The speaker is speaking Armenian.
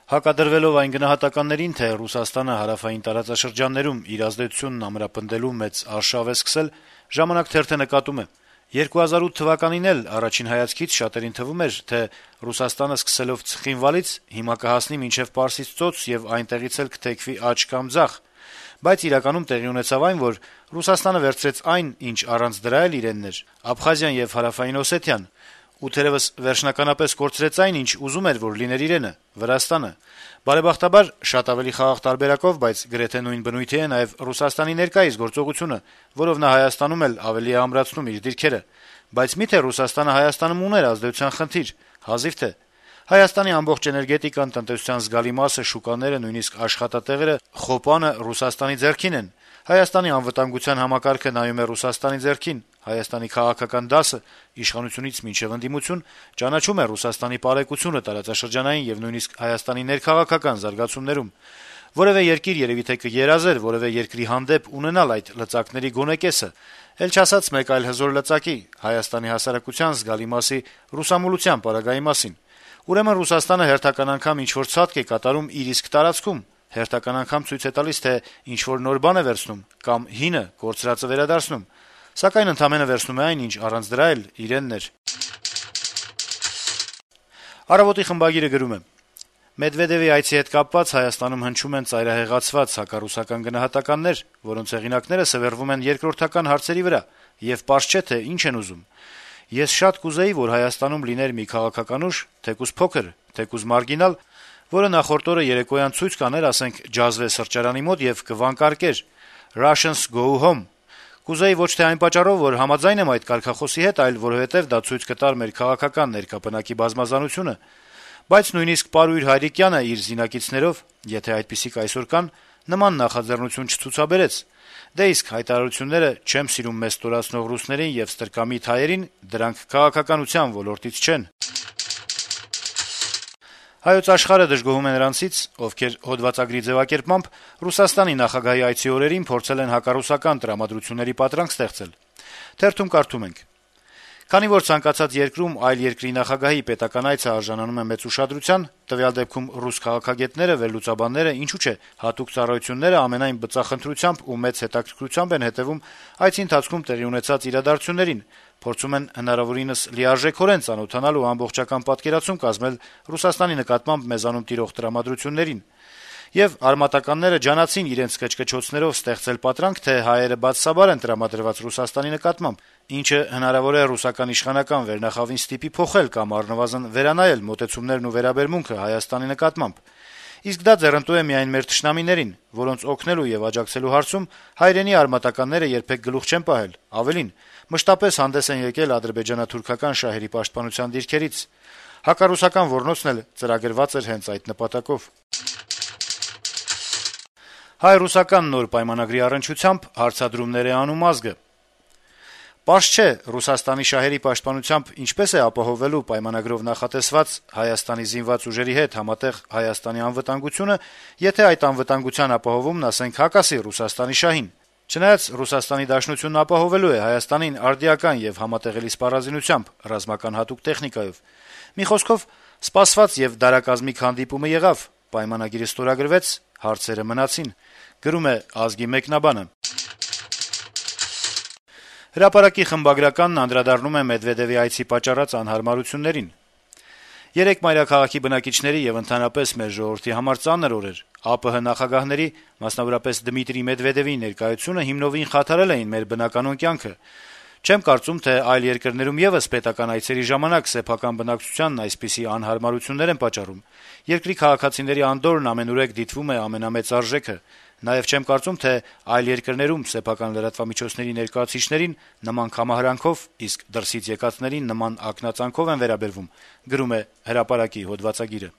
Հակադրվելով այն գնահատականներին, թե Ռուսաստանը հարավային տարածաշրջաններում իր ազդեցությունն ամրապնդելու մեծ արշավ է սկսել, «Ժամանակ» թերթը նկատում է. - 2008 թվականին էլ առաջին հայացքից շատերին թվում էր, թե Ռուսաստանը սկսելով Ցխինվալից հիմա կհասնի մինչեւ Պարսից ծոց եւ այնտեղից էլ կթեքվի աջ կամ ձախ, բայց իրականում տեղի ունեցավ այն, որ Ռուսաստանը վերցրեց այն, ինչ առանց դրա էլ իրենն էր՝ Աբխազիան եւ Հարավային Օսեթիան, ու թերեւս վերջնականապես կորցրեց այն, ինչ ուզում էր, որ լիներ իրենը՝ Վրաստանը։ Բարեբախտաբար, շատ ավելի խաղաղ տարբերակով, բայց գրեթե նույն բնույթի է նաեւ Ռուսաստանի ներկայիս գործողությունը, որով նա Հայաստանում էլ ավելի է ամրացնում իր դիրքերը։ Բայց միթե Ռուսաստանը Հայաստանում ուներ ազդեցության խնդիր, հազիվ թե։ Հայաստանի ամբողջ էներգետիկան, տնտեսության զգալի մասը, շուկաները, նույնիսկ աշխատատեղերը, խոպանը Ռուսաստանի ձեռքին են։ Հայաստանի անվտանգության համակարգը նայում է Ռուսաստանի ձեռքին, Հայաստանի քաղաքական դասը, իշխանությունից մինչև ընդդիմություն, ճանաչում է Ռուսաստանի պարեկությունը տարածաշրջանային եւ նույնիսկ Հայաստանի ներքաղաքական զարգացումներում։ Որեւէ երկիր երեւի թե կերազեր որեւէ երկրի հանդեպ ունենալ այդ լծակների գոնե կեսը, էլ չասած մեկ այլ հզոր լծակի՝ Հայաստանի հասարակության զգալի մասի ռուսամոլության պարագայի մասին։ Ուրեմն Ռուսաստանը հերթական անգամ ինչ-որ ցածկ է կատարում իր իսկ տարածքում, հերթական անգամ ցույց է տալիս, թե ինչ-որ նոր բան է վերցնում կամ հինը, կորցրածը վերադարձնում, սակայն ընդամենը վերցնում է այն, ինչ առանց դրա էլ իրենն էր։ «Առավոտ»-ի խմբագիրը գրում է. - Մեդվեդեւի այցի հետ կապված Հայաստանում հնչում են ծայրահեղացված հակառուսական գնահատականներ, որոնց հեղինակները սևեռվում են երկրորդական հարցերի վրա, եւ պարզ չէ, թե ինչ են ուզում։ Ես շատ կուզեի, որ Հայաստանում լիներ մի քաղաքական ուժ, թեկուզ փոքր, թեկուզ մարգինալ, որը նախորդ օրը երեկոյան ցույց կաներ, ասենք, Ջազվե սրճարանի մոտ եւ կվանկարկեր «Russians go home». Կուզեի ոչ թե այն պատճառով, որ համաձայն եմ այդ կարգախոսի հետ, այլ որովհետեւ դա ցույց կտար մեր քաղաքական ներկապնակի բազմազանությունը, բայց նույնիսկ Պարույր Հայրիկյանը իր զինակիցներով, եթե այդպիսիք այսօր կան, նման նախաձեռնություն չցուցաբերեց։ Դե իսկ հայտարարությունները «չեմ սիրում մեզ ստորացնող ռուսներին» եւ «ստրկամիտ հայերին» դրանք քաղաքականության ոլորտից չեն։ Հայոց Աշխարհը դժգոհում է նրանցից, ովքեր հոդվածագրի ձեւակերպմամբ Ռուսաստանի նախագահի այցի օրերին փորձել են հակառուսական տրամադրությունների պատրանք ստեղծել։ Թերթում կարդում ենք. - Քանի որ ցանկացած երկրում այլ երկրի նախագահի պետական այցը արժանանում է մեծ ուշադրության, տվյալ դեպքում ռուս քաղաքագետները, վերլուծաբանները, ինչու՞ չէ, հատուկ ծառայությունները ամենայն բծախնդրությամբ ու մեծ հետաքրքրությամբ են հետեւում այցի ընթացքում տեղի ունեցած իրադարձություններին, փորձում են հնարավորինս լիարժեքորեն ծանոթանալ ու ամբողջական պատկերացում կազմել Ռուսաստանի նկատմամբ մեզանում տիրող տրամադրություններին։ Եվ արմատականները ջանացին իրենց կչկչոցներով ստեղծել պատրանք, թե հայերը բացասաբար են տրամադրված Ռուսաստանի նկատմամբ, ինչը հնարավոր է ռուսական իշխանական վերնախավին ստիպի փոխել կամ առնվազն վերանայել մոտեցումներն ու վերաբերմունքը Հայաստանի նկատմամբ։ Իսկ դա ձեռնտու է միայն մեր թշնամիներին, որոնց օգնելու եւ աջակցելու հարցում հայրենի արմատականները երբեք գլուխ չեն պահել, ավելին, մշտապես հանդես են եկել ադրբեջանա-թուրքական շահերի պաշտպանության դիրքերից։ Հակառուսական ոռնոցն էլ ծրագրված էր հենց այդ նպատակով։ Հայ-ռուսական նոր պայմանագրի առնչությամբ հարցադրումներ է անում ազգը։ Պարզ չէ Ռուսաստանի շահերի պաշտպանությամբ ինչպես է ապահովվելու պայմանագրով նախատեսված Հայաստանի զինված ուժերի հետ համատեղ Հայաստանի անվտանգությունը, եթե այդ անվտանգության ապահովումն, ասենք, հակասի Ռուսաստանի շահին։ Չնայած Ռուսաստանի Դաշնությունն ապահովելու է Հայաստանին արդիական եւ համատեղելի սպառազինությամբ, ռազմական հատուկ տեխնիկայով։ Մի խոսքով, սպասված եւ դարակազմիկ հանդիպումը եղավ, պայմանագիրը ստորագրվեց, հարցերը մնացին, գրում է «Ազգի մեկնաբանը»։ Հրապարակի խմբագրականն անդրադառնում է Մեդվեդեւի այցի պատճառած անհարմարություններին. - Երեկ մայրաքաղաքի բնակիչների եւ ընդհանրապես մեր ժողովրդի համար ծանր օր էր։ ԱՊՀ նախագահների, մասնավորապես Դմիտրի Մեդվեդեւի ներկայությունը հիմնովին խաթարել էին մեր բնականոն կյանքը։ Չեմ կարծում, թե այլ երկրներում եւս պետական այցերի ժամանակ սեփական բնակչությանն այսպիսի անհարմարություններ են պատճառում։ Երկրի քաղաքացիների անդորրն ամենուրեք դիտվում է ամենամեծ արժեքը։ Նաեւ չեմ կարծում, թե այլ երկրներում սեփական լրատվամիջոցների ներկայացուցիչներին նման կամահրանքով, իսկ դրսից եկածներին նման ակնածանքով են վերաբերվում, գրում է Հրապարակի հոդվածագիրը։